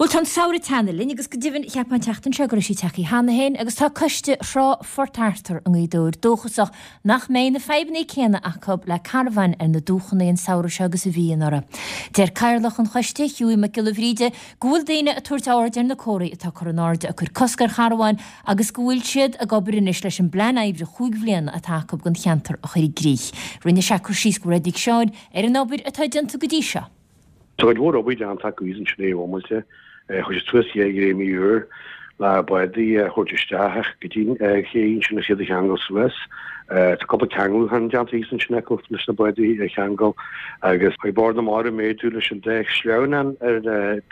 Bhuel, tá an samhradh ag teannadh linn agus go deimhin, cheapfá an tseachtain seo go raibh sé tagtha cheana féin agus tá coiste Thrá Phort Arthur i nGaoth Dobhair dóchasach nach mbeidh na fadhbanna céanna acu le carbháin ar na dumhchanna an samhradh seo agus a bhí anuraidh. Deir Cathaoirleach an choiste, Hughie Mac Giolla Bhríde, go bhfuil daoine ag tabhairt aird ar na comharthaí atá curtha in airde ag cur cosc ar charbháin agus go bhfuil siad ag obair anois leis an bplean oibre chúig bhliana atá acu don cheantar a chur i gcrích. Rinne sé cur síos go Mhairéad Nic Seáin ar an obair atá déanta go dtí seo. Tá cuid mhór obair déanta acu thíos ansin ar bhomaite. Chuir siad suas ché ghréimí úr le bádaí a thabhairt isteach go dtí an ché ansin agus iad a cheangal suas. Tá cúpla ceangalúchán déanta thíos ansin acu leis na bádaí a cheangal agus chuaigh Bord na Mara ag méadú leis an dá shleamhnán ar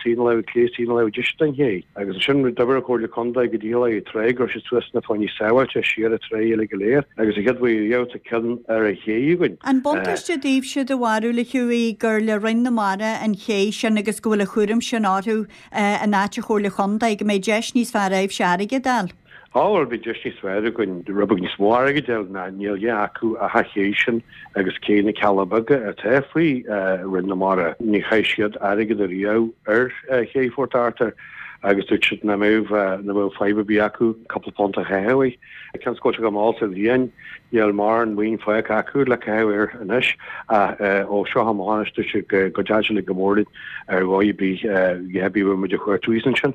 taobh na láimhe clé is taobh na láimhe deise den ché. Agus ansin d'oibir an Chomhairle Contae go dícheallach ag an trá go raibh siad suas na fáinní sábháilte siar an trá uilig go léir agus an chéad uair riamh tá ceann ar an ché againn. An buntáiste daoibhse do bharúil, a Hughie, gur le Roinn na Mara an ché sin agus go bhfuil an chúram sin orthu in áit an Chomhairle Chontae, go mbeidh deis níos fearr agaibhse airgead a fháil? Á bhuel, bhí deis níos fearr againn rud beag níos mó airgid a fháil ná níl a dhath acu ach an ché sin agus cé na Cealla Beaga atá faoi Roinn na Mara. Ní chaith siad airgead ariamh ar ché Phort Arthur agus dúirt siad nach mbeadh nach mbeadh fadhb ar bith acu cúpla punt a chaitheamh air. Cionn is go bhfuil sé go mall sa bhliain, níl mórán maoin fágtha acu le caitheamh air anois ach ó seo amach anois dúirt siad go dteachaidh sé go mór linn ar dhóigh ar bith, a dhath ar bith a bhfuil muid a chuartú thíos ansin.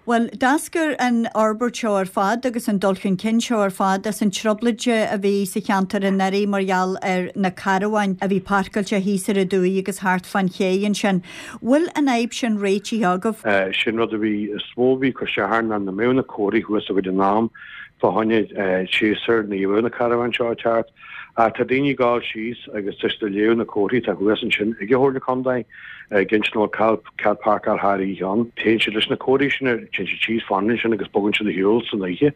Bhuel, d'eascair an fhorbairt seo ar fad agus an dul chun cinn seo ar fad as an trioblóid a bhí sa cheantar anuraidh mar gheall ar na carbháin a bhí páirceáilte thíos ar an dumhaigh agus thart fán ché ansin. Bhfuil an fhadhb sin réitithe agaibh? Sin rud a bhí, is mó a bhí ag cur isteach orainn ná nach mbeadh na comharthaí thuas againn in am fá choinne séasúr ní bheadh na carbháin seo ag teacht. Ach tá daoine ag gabháil síos agus tá siad ag léamh na comharthaí atá thuas ansin ag an Chomhairle Contae ag insint nach bhfuil cead páirceáil thar oíche ann. Téann siad leis na comharthaí sin, téann siad síos, fanann ansin agus bogann siad ar shiúl san oíche.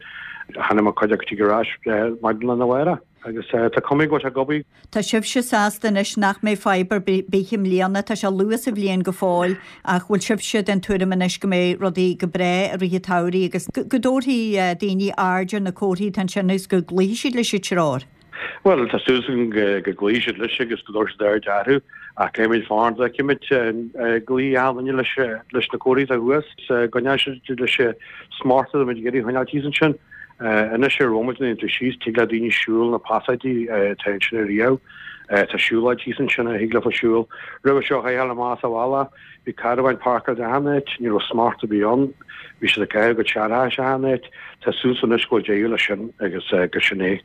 Chonaic mé cuid acu tig ar ais maidin lá arna mhárach agus tá cuma go bhfuil sé ag obair. Tá sibhse sásta anois nach mbeidh fadhb ar bith i mbliana, tá sé luath sa bhliain go fóill ach bhfuil sibhse den tuairim anois go mbeidh rudaí go breá i rith an tsamhraidh agus go dtabharfaidh daoine aird ar na comharthaí atá ansin agus go gcloífidh siad leis an treoir? Bhuel, tá súil agam go gcloífidh siad leis agus go dtabharfaidh siad aird orthu ach caithfimid fanacht go bhfeicfimid an gcloífidh achan duine leis leis na comharthaí atá thuas, go gcoinneoidh siad leis an smacht atá muid ag iarraidh a choinneáil thíos ansin. Anois ar bhomaite nuair atá tú síos, tig le daoine siúl na pasáidí atá ansin ariamh. Tá siúlóid thíos ansin a thig leofa siúl. Roimhe seo chaithfeá a ghabháil amach as an bhealach, bhí carbháin páirceáilte achan áit, ní raibh smacht ar bith ann, bhí siad ag caitheamh a gcuid searrachais achan áit. Tá súil agam anois go bhfuil deireadh leis sin agus gur sin é.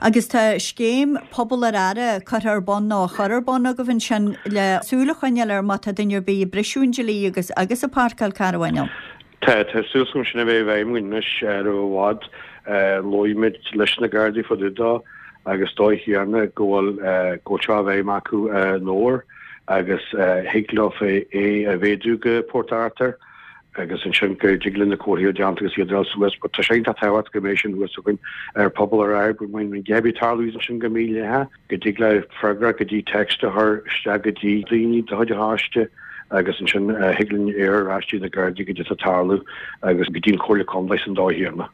Agus tá scéim Pobal ar Aire curtha ar bun nó á chur ar bun agaibh ansin le súil a choinneáil ar má tá duine ar bith ag briseadh an dlí agus agus ag páirceáil carabháin ann. Tá, tá súil agam sin a bheith i bhfeidhm againn anois roimh i bhfad. Labhair muid leis na Gardaí fá dtaobh dó agus dóigh chéanna go bhfuil go bhfuil seo i bhfeidhm acu in Dobhar agus thig leofa é a mhéadú go Port Arthur. agus ansin go dtig linn na comharthaí a déanta agus iad a fháil suas but tá sé iontach tábhachtach go mbeidh sin thuas againn ar Pobal ar Aire go mbeidh an gheimhridh ag tarlú ansin go mídhleathach, go dtig le freagra go dtí text a chur isteach go dtí daoine de chuid an choiste agus ansin thig linn iarraidh ar ais dtí na Gardaí goidé atá ag tarlú agus go dtí an Chomhairle Contae san dóigh chéanna.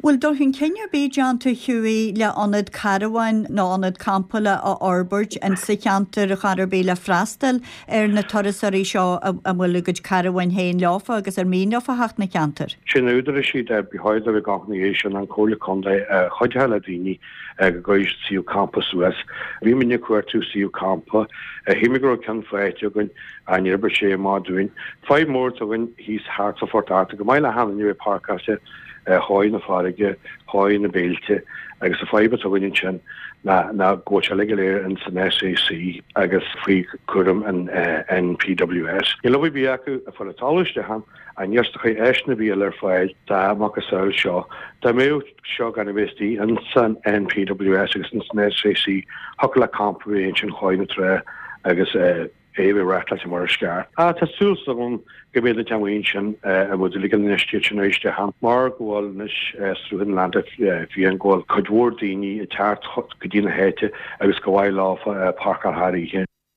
Bhfuil dul chun cinn ar bith déanta, Hughie, le ionad carabháin nó ionad campála a fhorbairt in sa cheantar ar chor ar bith le freastal ar na turasóirí seo a bhfuil a gcuid carabháin féin leofa agus ar mian leofa theacht 'na cheantar? Sin údarais iad ar ba chóir dóibh gach ní é sin an Comhairle Contae a chuideoidh le daoine go gcuirfidh siad suíomh campa suas. Bhí muidne ag cuartú suíomh campa. Shíl mé go raibh ceann faighte againn ach níor oibrigh sé amach dúinn. Fadhb mór atá againn thíos thart fá Phort Arthur, go maith le hachan duine a bheith páirceáilte chóir na farraige, chóir na béilte agus an fadhb atá againn ansin ná ná go bhfuil sé uilig go léir in san SAC agus faoi chúram an NPWS. Níl obair ar bith acu ag fáil an talamh isteach ann ach níl siad ag cur áiseanna ar bith eile ar fáil dá macasamhail seo. Dá mbeadh seo gan a bheith istigh in san NPWS agus in san SAC thiocfadh le campa a bheith ansin chóir na trá agus é a bheith reáchtáilte mar is ceart. Ach tá súil agam go mbeidh na teangaí ansin a bhfuil ag an infheistíocht sin arís ann mar go bhfuil anois sruth an leanta fiáin go bhfuil cuid mhór daoine ag teacht go dtí na háite agus go mhaith leofa páirceáil thar oíche.